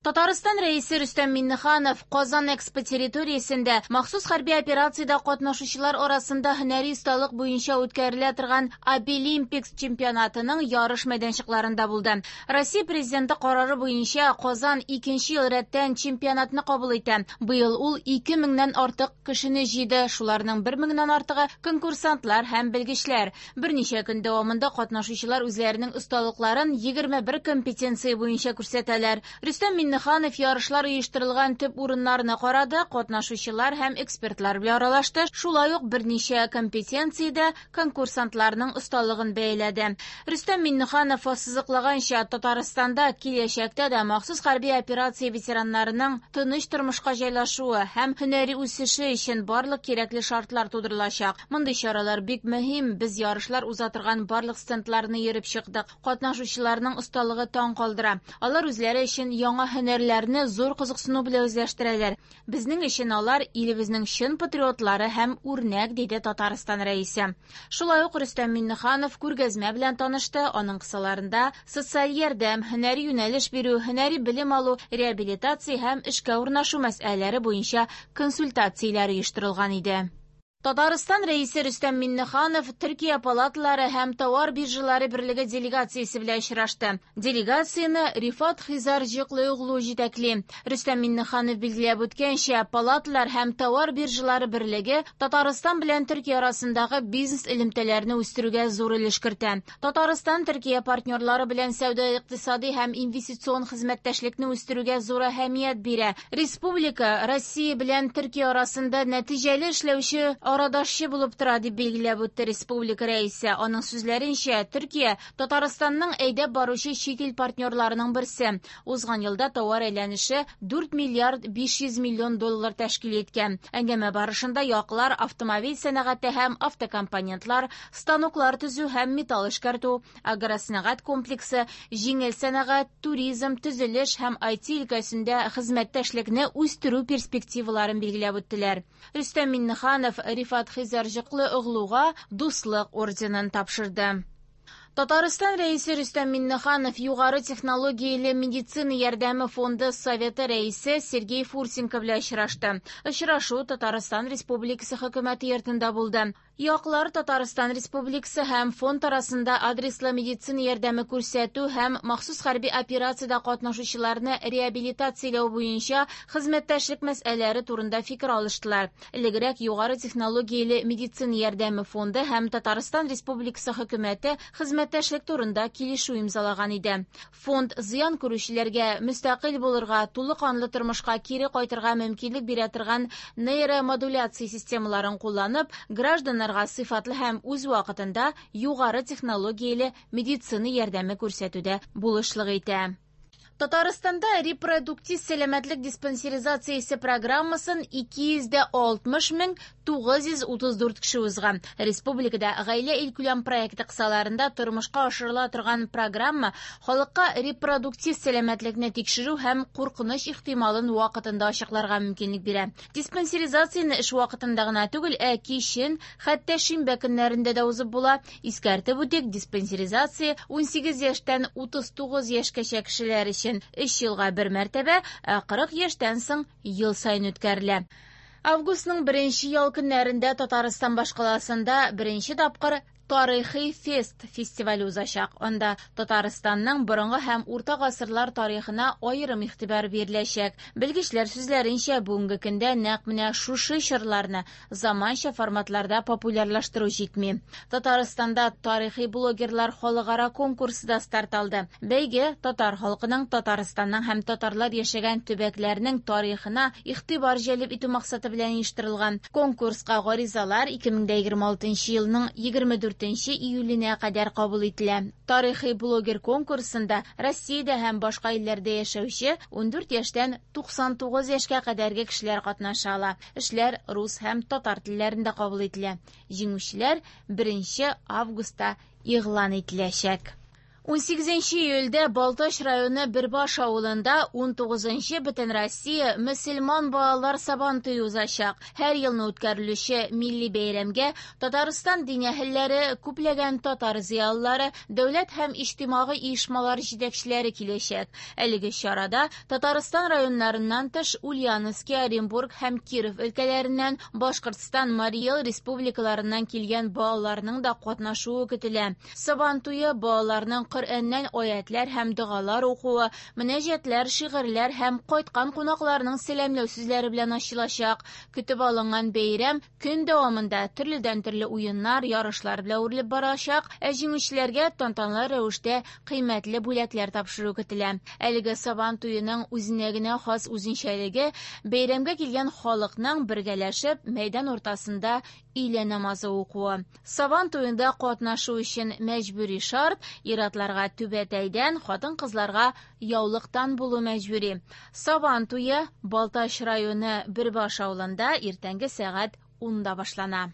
Татарстан Рәисе Рөстәм Миңнеханов Казан Экспо территориясендә махсус хәрби операциядә катнашучылар арасында һөнәри осталык буенча үткәрелә торган Абилимпикс чемпионатының ярыш мәйданчыкларында булды. Россия Президенты карары буенча Казан икенче ел рәттән чемпионатны кабул итә. Быел ул 2 меңнән артык кешене җыйды, шуларның 1 меңнән артыгы конкурсантлар һәм белгечләр. Берничә көн дәвамында катнашучылар үзләренең осталыкларын 21 компетенция буенча күрсәтәләр. Рөстәм Миңнеханов ярышлар оештырылган төп урыннарны карады, катнашучылар һәм экспертлар белән аралашты, шулай ук берничә компетенциядә конкурсантларның осталыгын бәяләде. Рөстәм Миңнеханов ассызыклаганча, Татарстанда киләчәктә дә махсус хәрби операция ветераннарының тыныч тормышка җайлашуы һәм һөнәри үсеше өчен барлык кирәкле шартлар тудырылачак. Мондый чаралар бик мөһим, без ярышлар уза торган барлык стендларны йөреп чыктык. Катнашучыларның осталыгы таң калдыра. Алар үзләре өчен яңа һөнәрләрне зур кызыксыну белән үзләштерәләр. Безнең өчен алар илебезнең чын патриотлары һәм үрнәк, диде Татарстан Рәисе. Шулай ук Рөстәм Миңнеханов күргәзмә белән танышты, аның кысаларында социаль ярдәм, һөнәри юнәлеш бирү, һөнәри белем алу, реабилитация һәм эшкә урнашу мәсьәләләре буенча консультацияләр оештырылган иде. Татарстан Рәисе Рөстәм Миңнеханов Төркия палаталары һәм товар биржалары берлеге делегациясе белән очрашты. Делегацияне Рифат Хизарҗыклыоглу җитәкли. Рөстәм Миңнеханов билгеләп үткәнчә, палаталар һәм товар биржалары берлеге Татарстан белән Төркия арасындагы бизнес элемтәләрне үстерүгә зур өлеш кертә. Татарстан Төркия партнерлары белән сәүдә-икътисади һәм инвестицион хезмәттәшлекне үстерүгә зур әһәмият бирә. Республика Россия белән Төркия арасында нәтиҗәле эшләүче арадашчы булып тора, дип билгеләп үтте республика рәисе. Аның сүзләренчә, Төркия Татарстанның әйдәп баручы чит ил партнерларының берсе. Узган елда товар әйләнеше 4 миллиард 500 миллион доллар тәшкил иткән. Әңгәмә барышында яклар автомобиль сәнәгате һәм автокомпонентлар, станоклар төзү һәм металл эшкәртү, агросәнәгать комплексы, җиңел сәнәгать, туризм, төзелеш һәм IT өлкәсендә хезмәттәшлекне үстерү перспективаларын билгеләп үттеләр. Рөстәм Миңнеханов Рифат Хизарҗыклыоглуга Дуслык орденын тапшырды. Татарстан Рәисе Рөстәм Миңнеханов югары технологияле медицина ярдәме фонды советы рәисе Сергей Фурсенко белән очрашты. Очрашу Татарстан Республикасы хөкүмәте йортында булды. Яклар Татарстан Республикасы һәм фонд арасында адреслы медицина ярдәме күрсәтү һәм махсус хәрби операциядә катнашучыларны реабилитацияләү буенча хезмәттәшлек мәсьәләләре турында фикер алыштылар. Элегрәк югары технологияле медицина ярдәме фонды һәм Татарстан Республикасы хөкүмәте хезмәттәшлек турында килешү имзалаган иде. Фонд зыян күрүчеләргә мөстәкыйль булырга, тулы канлы тормышка кире кайтырга мөмкинлек бирә торган нейромодуляция системаларын кулланып, гражданнарга сыйфатлы һәм үз вакытында югары технологияле медицина ярдәме күрсәтүдә булышлык итә. Татарстанда репродуктив сәламәтлек диспансеризациясе программасын 260 мең 934 кеше узган. Республикада гаилә илкүләм проекты кысаларында тормышка ашырыла торган программа халыкка репродуктив сәламәтлекне тикшерү һәм куркыныч ихтималын вакытында ачыкларга мөмкинлек бирә. Диспансеризацияне эш вакытында гына түгел, ә кичен, хәтта шимбә көннәрендә дә узып була. Искәртеп үтик, диспансеризация 18 яшьтән 39 яшькәчә кешеләр өчен 3 елга бер мәртәбә, ә 40 яшьтән соң ел саен үткәрелә. Августның беренче ял көннәрендә Татарстан башкаласында беренче тапкыр Тарихи фест фестивале узачак. Анда Татарстанның борынгы һәм урта гасырлар тарихына аерым игътибар биреләчәк. Белгечләр сүзләренчә, бүгенге көндә нәкъ менә шушы чорларны заманча форматларда популярлаштыру җитми. Татарстанда тарихи блогерлар халыкара конкурсы да старт алды. Бәйге татар халкының, Татарстанның һәм татарлар яшәгән төбәкләрнең тарихына игътибар җәлеп итү максаты белән оештырылган. Конкурска гаризалар 2026 елның 24 июленә кадәр кабул ителә. Тарихи блогер конкурсында Россиядә һәм башка илләрдә яшәүче 14 яшьтән 99 яшькә кадәрге кешеләр катнаша ала. Эшләр рус һәм татар телләрендә кабул ителә. Җиңүчеләр 1 августта игълан ителәчәк. 18 июльдә Балтач районы Бөрбаш авылында 19нчы Бөтенроссия мөселман балалар Сабантуе узачак. Һәр елны үткәрелүче милли бәйрәмгә Татарстан дин әһелләре, күпләгән татар зыялылары, дәүләт һәм иҗтимагый оешмалар җитәкчеләре киләчәк. Әлеге чарада Татарстан районнарыннан тыш Ульяновски, Оренбург һәм Киров өлкәләреннән, Башкортстан, Марий Эл республикаларыннан килгән балаларның да катнашуы көтелә. Сабантуе балаларның Коръәннән аятьләр һәм догалар укуы, мөнәҗәтләр, шигырьләр һәм кайткан кунакларның сәламләү сүзләре белән ачылачак. Көтеп алынган бәйрәм көн дәвамында төрледән-төрле уеннар, ярышлар белән үрелеп барачак, ә җиңүчеләргә тантаналы рәвештә кыйммәтле бүләкләр тапшыру көтелә. Әлеге Сабан туеның үзенә генә хас үзенчәлеге бәйрәмгә килгән халыкның бергәләшеп мәйдан уртасында өйлә намазы укуы. Сабан туенда катнашу өчен мәҗбүри шарт ир-атларга түбәтәйдән, хатын-кызларга яулыктан булу мәҗбүри. Сабан туе Балтач районы Бөрбаш авылында иртәнге сәгать 10-да башлана.